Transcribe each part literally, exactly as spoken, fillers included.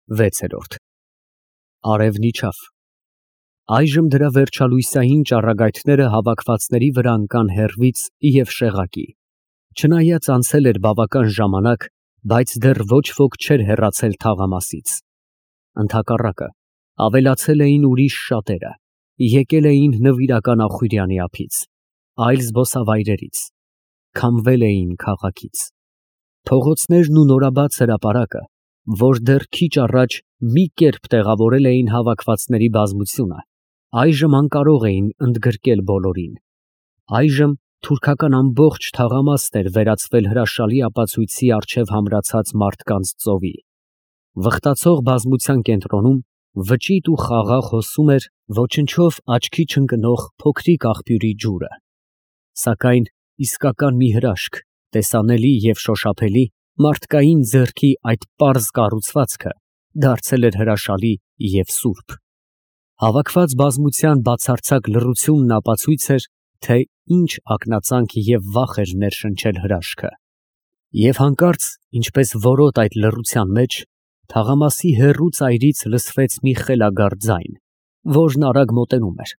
վեցերորդ Արևն իջավ։ Այժմ դրա վերջալույսային ճառագայթները հավաքվածների վրա ընկան հեռվից և շեղակի, չնայած անցել էր բավական ժամանակ, բայց դեռ ոչ ոք չէր հեռացել թաղամասից, ընդհակառակը, ավելացել էին ուրիշ շատերը, եկել էին Նվիրական Ախուրյանի ափից, այլ զբոսավայրերից, քամվել էին քաղաքից։ Փողոցներն ու նորաբաց հրապարակը, որ դեռ քիչ առաջ մի կերպ տեղավորել էին հավաքվածների բազմությունը, այժմ անկարող էին ընդգրկել բոլորին, այժմ թուրքական ամբողջ թաղամասն էր վերածվել հրաշալի ապացույցի առջև համրացած մարդկանց ծովի։ Վխտացող բազմության կենտրոնում վճիտ ու խաղաղ հոսում էր ոչնչով աչքի չընկնող փոքրիկ աղբյուրի ջուրը, սակայն իսկական մի հրաշք, տեսանելի և շոշափելի, մարդկային ձեռքի այդ պարզ կառուցվածքը դարձել էր հրաշալի և սուրբ։ Հավաքված բազմության բացարձակ լռությունն ապացույց էր, թե ինչ ակնածանք և վախ էր ներշնչել հրաշքը։ Եվ հանկարծ, ինչպես որոտ այդ լռության մեջ, թաղամասի հեռու ծայրից լսվեց մի խելագար ձայն, որն արագ մոտենում էր,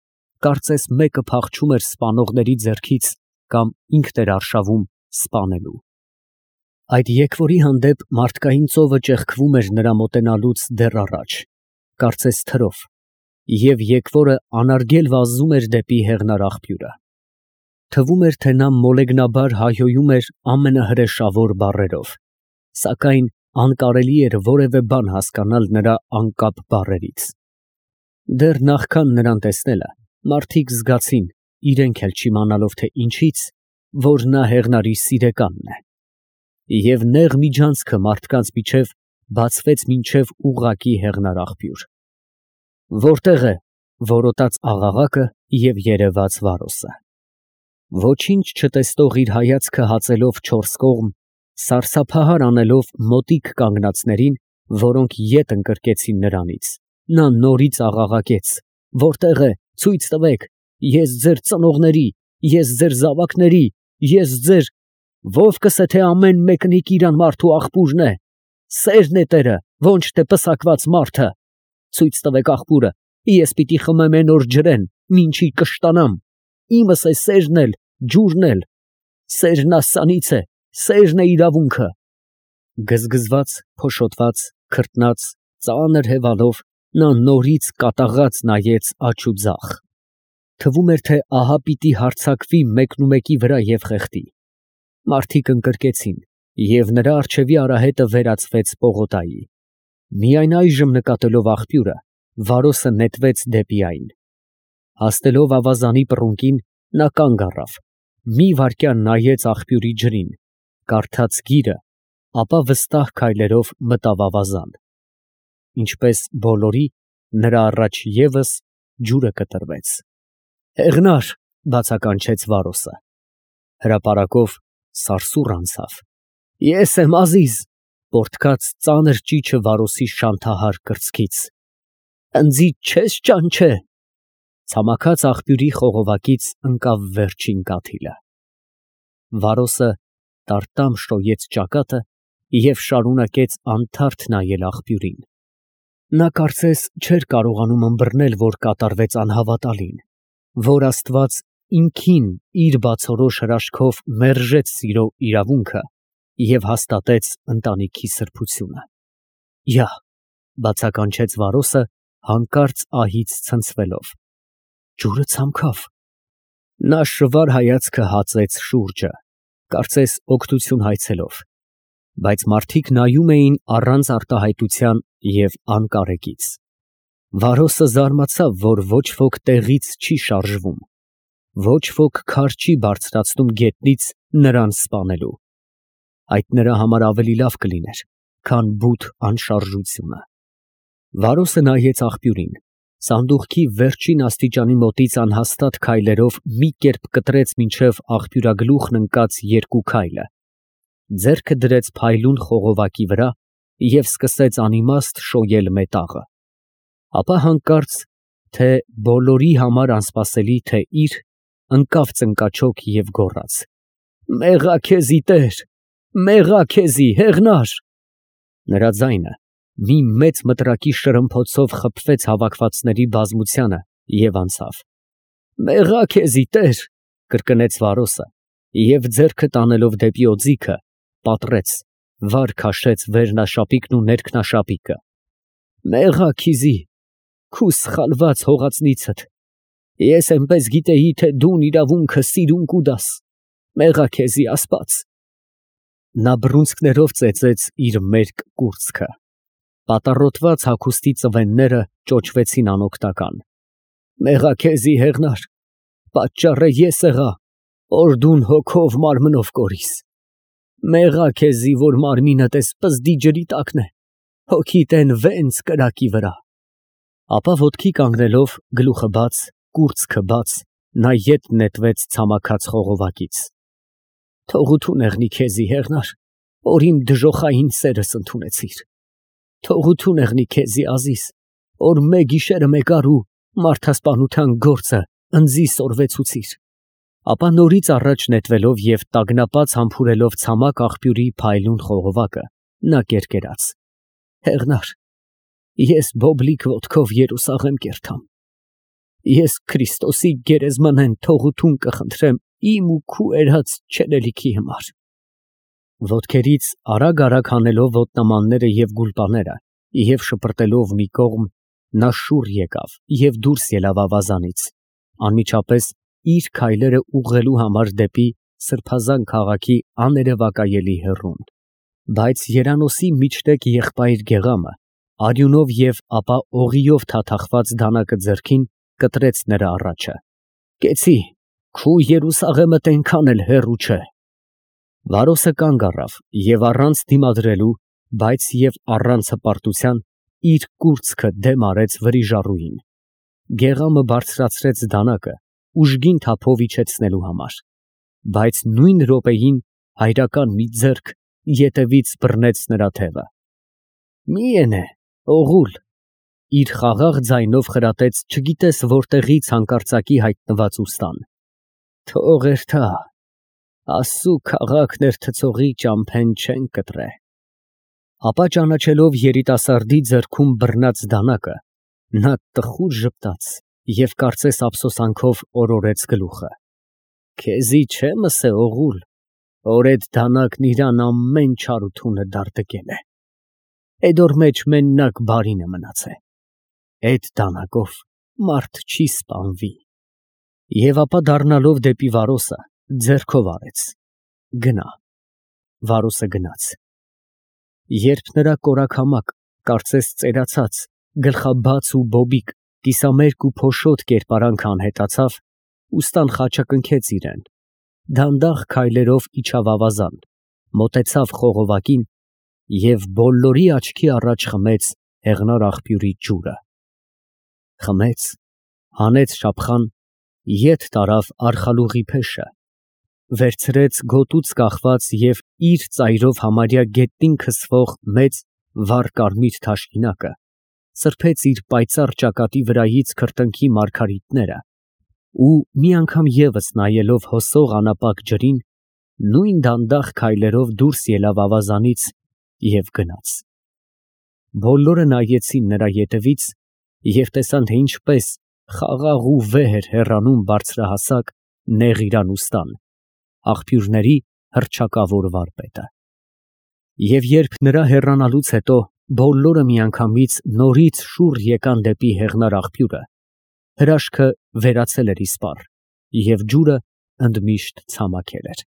կարծես մեկը փախչում էր սպանողների ձեռքից կամ ինքն էր արշավում սպանելու։ Այդ եկվորի հանդեպ մարդկային ծովը ճեղքվում էր նրա մոտենալուց դեռ առաջ, կարծես թրով, և եկվորը անարգել վազում էր դեպի հեղնարաղբյուրը։ Թվում էր, թե նա մոլեգնաբար հայհոյում էր ամենահրեշավոր բառերով, սակայն անկարելի էր որևէ բան հասկանալ նրա անկապ բառերից։ Դեռ նախքան նրան տեսնելը, մարդիկ զգացին, իրենք էլ չիմանալով թե ինչից, որ նա հեղնարի սիրեկանն է։ Եվ նեղ միջանցքը մարդկանց միջև բացվեց մինչև ուղղակի հեղնարաղբյուր։ Որտե՞ղ է, որոտաց աղաղակը և երևաց Վարոսը։ Ոչինչ չտեսնող իր հայացքը հացելով չորս կողմ, սարսափահար անելով մոտիկ կանգնածներին, որոնք ետ ընկրկեցին նրանից, նա նորից աղաղակեց. «Որտե՞ղ է, ցույց տվեք, ես ձեր ծնողների, ես ձեր զավակների, ես ձեր… Ո՞վկս է, թե ամեն մեկնիկ իր անմարդու աղբուրն է, սերն է տերը, ոչ թե պսակված մարդը… Ցույց տվեք աղբուրը, ես պիտի խմեմ էն օր ջրեն, մինչի կշտանամ, իմս է սերն էլ, ջուրն էլ… Սերն աստծանից է, սերն է իրավունքը…»։ Գզգզված, փոշոտված, քրտնած, ծանր հևալով, նա նորից կատաղած նայեց աջ ու ձախ։ Թվում էր, թե ահա պիտի հարձակվի մեկնումեկի վրա և խեղդի։ Մարդիկ ընկրկեցին, և նրա առջևի արահետը վերածվեց պողոտայի։ Միայն այժմ նկատելով աղբյուրը, Վարոսը նետվեց դեպի այն։ Հասնելով ավազանի պռունկին, նա կանգ առավ, մի վայրկյան նայեց աղբյուրի ջրին, կարդաց գիրը, ապա վստահ քայլերով մտավ ավազան։ Ինչպես բոլորի, նրա առաջ ևս ջուրը կտրվեց։ «Հեղնա՛ր», բացականչեց Վարոսը։ Հրապարակով սարսուռ անցավ։ «Ես եմ Ազիզ», պոռթկաց ծանր ճիչը Վարոսի շանթահար կրծքից։ «Ընձիդ չե՞ս ճանչե»։ Ցամաքած աղբյուրի խողովակից ընկավ վերջին կաթիլը։ Վարոսը տարտամ շոյեց ճակատը և շարունակեց անթարթ նայել աղբյուրին։ Նա կարծես չէր կարողանում ըմբռնել, որ կատարվեց անհավատալին, որ Աստված ինքին իր բացորոշ հրաշքով մերժեց սիրո իրավունքը և հաստատեց ընտանիքի սրբությունը։ «Յա», բացականչեց Վարոսը, հանկարծ ահից ցնցվելով։ «Ջուրը ցամքավ»։ Նա շվար հայացքը հածեց շուրջը, կարծես օգնություն հայցելով, բայց մարդիկ նայում էին առանց արտահայտության և անկարեկից։ Վարոսը զարմացավ, որ ոչ ոք տեղից չի շարժվում, ոչ ոք քար չի բարձրացնում գետնից նրան սպանելու։ Այդ նրա համար ավելի լավ կլիներ, քան բութ անշարժությունը։ Վարոսը նայեց աղբյուրին, սանդուղքի վերջին աստիճանի մոտից անհաստատ քայլերով մի կերպ կտրեց մինչև աղբյուրագլուխն ընկած երկու քայլը, ձեռքը դրեց փայլուն խողովակի վրա և սկսեց անիմաստ շոյել մետաղը։ Ապա հանկարծ, թե բոլորի համար անսպասելի, թե իր, ընկավ ծնկաչոք և գոռաց. «Մեղա քեզի, Տեր, մեղա քեզի, հեղնա՛ր»։ Նրա ձայնը, մի մեծ մտրակի շրմփոցով խփվեց հավաքվածների բազմությանը և անցավ։ «Մեղա քեզի, Տեր», կրկնեց Վարոսը և ձեռքը տանելով դեպի օձիքը, պատռեց, վար քաշեց վերնաշապիկն ու ներքնաշապիկը։ «Մեղա քիզի, քու սխալված հողածնիցդ, ես էնպես գիտեի, թե դուն իրավունքը սիրուն կուտաս, մեղա քեզի Աստված»։ Նա բռունցքներով ծեծեց իր մերկ կուրծքը։ Պատառոտված հագուստի ծվենները ճոճվեցին անօգնական։ «Մեղա քեզի, հեղնար, պատճառը ես եղա, որ դուն հոգով մարմնով կորիս։ Մեղա քեզի, որ մարմինդ էս պզդի ջրի տակն է, հոգիդ են վենց կրակի վրա»։ Ապա ոտքի կանգնելով, գլուխը բաց, կուրծքը բաց, նա ետ նետվեց ցամաքած խողովակից։ «Թողություն եղնի քեզի, հեղնար, որ իմ դժոխային սերս ընդունեցիր։ Թողություն եղնի քեզի, Ազիզ, որ մեկ գիշերը մեկար ու մարդասպանության գործը ընձի սորվեցուցիր»։ Ապա նորից առաջ նետվելով և տագնապած համբուրելով ցամաք աղբյուրի փայլուն խողովակը, նա կերկերաց. «Հեղնար, ես բոբլիկ ոտքով Երուսաղեմ կերթամ։ Ես Քրիստոսի գերեզմանեն թողություն կխնդրեմ իմ ու քու էրած չելելիքի համար»։ Ոտքերից արագ֊արագ հանելով ոտնամանները և գուլպաները և շպրտելով մի կողմ, նա շուռ եկավ և դուրս ելավ ավազանից, անմիջապես իր քայլերը ուղղելու համար դեպի սրբազան քաղաքի աներևակայելի հեռուն։ Բայց երանոսի միջտեկ եղբայր Գեղամը արյունով և ապա օղիով թաթախված դանակը ձեռքին կտրեց նրա առաջը։ «Կեցի, քու Երուսաղեմդ էնքան էլ հեռու չէ»։ Վարոսը կանգ առավ և առանց դիմադրելու, բայց և առանց հպարտության իր կուրծքը դեմ արեց վրիժառուին։ Գեղամը բարձրացրեց դանակը ուժգին թափով իջեցնելու համար, բայց նույն րոպեին հայրական մի ձեռք ետևից բռնեց նրա թևը։ «Մի ենե, օղուլ», իր խաղաղ ձայնով խրատեց չգիտես որտեղից հանկարծակի հայտնված ուստան։ «Թող էրթա, Աստծու քաղաքն էրթցողի ճամփեն չեն կտրե»։ Ապա ճանաչելով երիտասարդի ձեռքում բռնած դանակը, նա տխուր ժպտաց և կարծես ափսոսանքով օրորեց գլուխը։ «Քեզի չեմ ըսե, օղուլ, որ էդ դանակն իրան ամեն չարությունը դարտկել է։ Էդ օր մեջ մենակ բարին է մնացե։ Էդ դանակով մարդ չի սպանվի»։ Եվ ապա դառնալով դեպի Վարոսը, ձեռքով արեց. «Գնա»։ Վարոսը գնաց։ Երբ նրա կորակամակ, կարծես ծերացած, գլխաբաց ու բոբիկ, կիսամերկ ու փոշոտ կերպարանքը անհետացավ, ուստան խաչակնքեց իրան, դանդաղ քայլերով իջավ ավազան, մոտեցավ խողովակին և բոլորի աչքի առաջ խմեց հեղնար աղբյուրի ջուրը։ Խմեց, հանեց շափխան, ետ տարավ արխալուղի փեշը, վերցրեց գոտուց կախված և իր ծայրով համարյա գետնին քսվող մեծ վառ կարմիր թաշկինակը, սրբեց իր պայծառ ճակատի վրայից քրտինքի մարգարիտները ու, մի անգամ ևս նայելով հոսող անապակ ջրին, նույն դանդաղ քայլերով դուրս ելավ ավազանից և գնաց։ Բոլորը նայեցին նրա ետևից և տեսան, թե ինչպես խաղաղ ու վեհ էր հեռանում բարձրահասակ, նեղ իրան ուստան, աղբյուրների հռչակավոր վարպետը։ Եվ երբ նրա հեռանալուց հետո բոլորը միանգամից նորից շուռ եկան դեպի հեղնար աղբյուրը, հրաշքը վերացել էր իսպառ, և ջուրը ընդմիշտ ցամաքել էր։